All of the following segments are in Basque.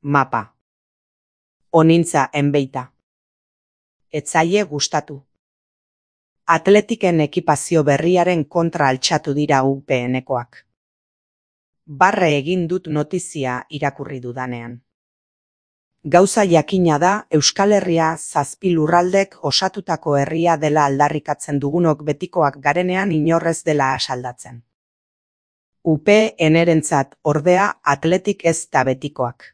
mapa. Onintza enbeita. Etzaie gustatu. Atletiken ekipazio berriaren kontra altxatu dira UPNekoak. Barre egin dut notizia irakurri dudanean. Gauza jakina da Euskal Herria 7 lurraldek osatutako herria dela aldarrikatzen dugunok betikoak garenean inorrez dela asaldatzen. UPNerentzat ordea Atletik ez da betikoak.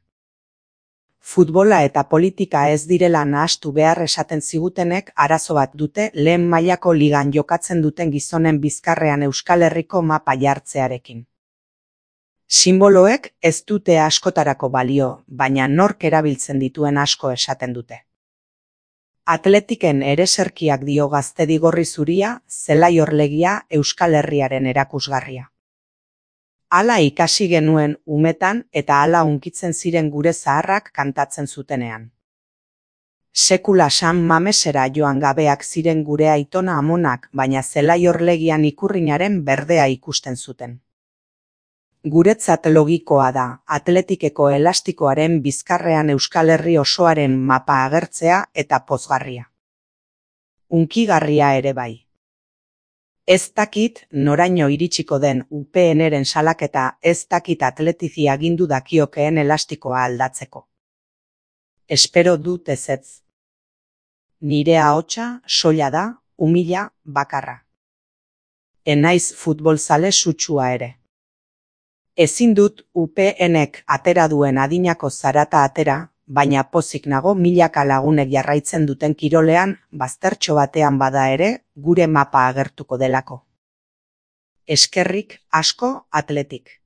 Futbola eta politika ez direla nahastu behar esaten zigutenek arazo bat dute lehen mailako ligan jokatzen duten gizonen bizkarrean Euskal Herriko mapa jartzearekin. Simboloek ez dute askotarako balio, baina nork erabiltzen dituen asko esaten dute. Atletiken ereserkiak dio gaztedigorri zuria, zelai orlegia Euskal Herriaren erakusgarria. Hala ikasi genuen umetan eta hala hunkitzen ziren gure zaharrak kantatzen zutenean. Sekula San Mamesera joan gabeak ziren gure aitona amonak, baina zelai orlegian ikurrinaren berdea ikusten zuten. Guretzat logikoa da, Atletikeko elastikoaren bizkarrean Euskal Herri osoaren mapa agertzea eta pozgarria. Hunkigarria ere bai. Ez dakit noraino iritsiko den UPNren salaketa, ez dakit Atletizi agindu dakiokeen elastikoa aldatzeko. Espero dut ezetz. Nire ahotsa soila da, umila, bakarra. Enaiz futbolzale sutsua ere. Ezin dut UPNek atera duen adinako zarata atera, baina pozik nago milaka lagunek jarraitzen duten kirolean, baztertxo batean bada ere, gure mapa agertuko delako. Eskerrik asko Atletik.